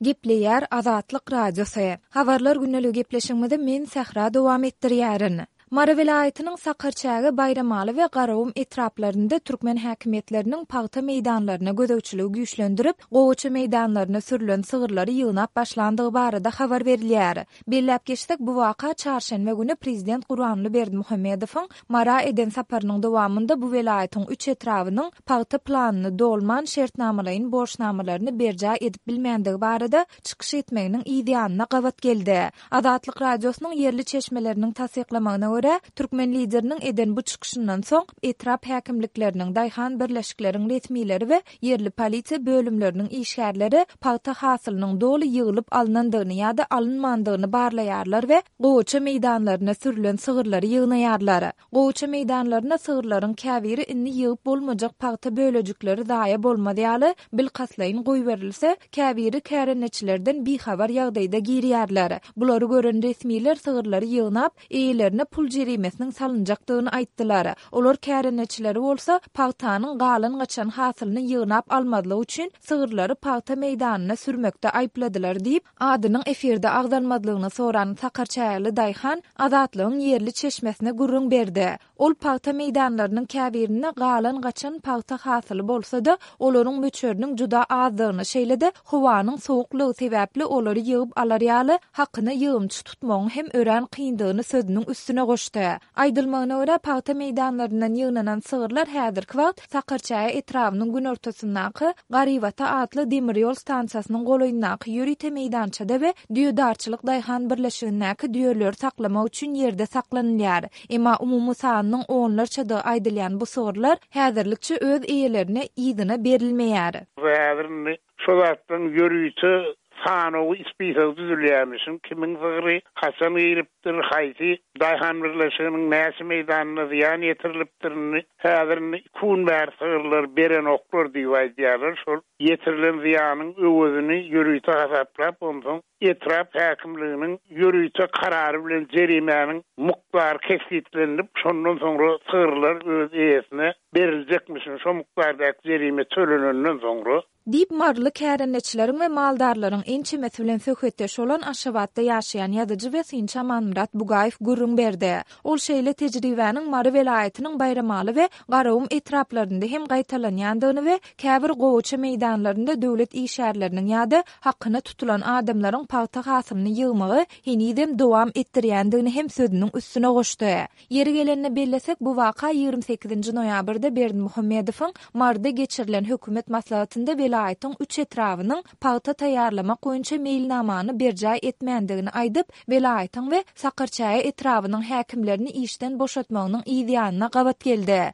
Gepleýär Azatlyk Radiosy. Habarlar gündeligi gepleşigimizi men Sähra dowam etdirýärin. Mary welaýatynyň Sakarçäge, Baýramaly we Garagum etraplarynda türkmen häkimiýetleriniň pagta meýdanlaryna gözegçiligi güýçlendirip, gowaça meýdanlaryna sürlen sygyrlary ýygnap başlandygy barada habar berilýär. Belläp geçsek, bu waka çarşenbe güni prezident Gurbanguly Berdimuhamedowyň Mara eden saparynyň dowamynda bu welaýatyň üç etrabynyň pagta planyny dolman, şertnamalaýyn borçnamalaryny berjaý edip bilmändigi barada çykyş etmeginiň yz ýanyna gabat geldi. Azatlyk Radiosynyň ýerli çeşmeleriniň tassyklamagyna görä, türkmen Lideriniň eden bu çykyşyndan soň, etrap häkimlikleriniň, daýhan birleşikleriň resmileri we ýerli polisiýa bölümleriniň işgärleri pagta hasylynyň doly ýygylyp alnandygyny ýa-da alynmandygyny barlaýarlar we gowaça meýdanlaryna sürlen sygyrlary ýygnaýarlar. Gowaça meýdanlarynda sygyrlaryň käbiri indi ýygyp bolmajak pagta bölejikleri zaýa bolmaz ýaly bilkastlaýyn goýberilse, käbiri kärendeçilerden bihabar ýagdaýda girýärler. Bulary gören resmiler sygyrlary ýygnap, eýelerine pul jerimesiniň salynjakdygyny aýtdylar. Olar kärendeçileri bolsa, pagtanyň galan-gaçan hasylyny ýygnap almazlyk üçin sygyrlary pagta meýdanyna sürmekde aýypladylar diýip, Adynyň efirde agzalmazlygyny soran sakarçägeli daýhan Azatlygyň ýerli çeşmesine gürrüň berdi. Ol pagta meýdanlarynyň käbirinde galan-gaçan pagta hasyly bolsa-da, olaryň möçberiniň juda azdygyny, şeýle-de howanyň sowuklygy sebäpli olary ýygyp alar ýaly hakyna ýygymçy tutmagyň hem örän kyndygyny sözüniň üstüne goşdy. Aýdylmagyna görä, pagta meýdanlaryndan ýygnanan sygyrlar häzirki wagt Sakarçäge etrabynyň günortasyndaky Garybata atly demir ýol stansiýasynyň golaýyndaky ýörite meýdançada we Düýedarçylyk daýhan birleşigindäki düýeleri saklamak üçin ýerde saklanylýar. Emma umumy sanynyň onlarçadygy aýdylýan bu sygyrlar häzirlikçe öz eýelerine yzyna berilmeýär. Häzir indi Şo zatlaryň ýörite sanawy, spisogy düzülýärmişin, kimiň sygry haçan giripdir, haýsy daýhan birleşiginiň näçe meýdanyna zyýan ýetirilipdir, indi häzir indi iki gün bäri sygyrlary berenoklar diýip aýdýarlar, şol ýetirilen zyýanyň öwezini ýörite hasaplap, onsoň etrap häkimliginiň ýörite karary bilen jerimäniň mukdary kesgitlenilip, şondan soňra sygyrlar öz eýesine beriljekmişin, şo mukdardaky jerime tölenenden soňra. Diýip, maryly kärendeçileriň we maldarlaryň ençemesi bilen söhbetdeş bolan Aşgabatda ýaşaýan ýazyjy we synçy Amanmyrat Bugaýew gürrüň berdi. Ol şeýle tejribäniň Mary welaýatynyň Baýramaly we Garagum etraplarynda hem gaýtalanýandygyny we käbir gowaça meýdanlarynda döwlet işgärleriniň ýa-da hakyna tutulan adamlaryň pagta hasylyny ýygmagy henizem dowam etdirýändigini hem sözüniň üstüne goşdy. Ýeri gelende bellesek, bu waka 28-nji noýabrda Berdimuhamedowyň Maryda geçirilen hökümet maslahatynda welaýatyň üç etrabynyň pagta taýýarlamak boýunça meýilnamany berjaý etmändigini aýdyp, welaýatyň we Sakarçäge etrabynyň häkimlerini işden boşatmagynyň yz ýanyna gabat geldi.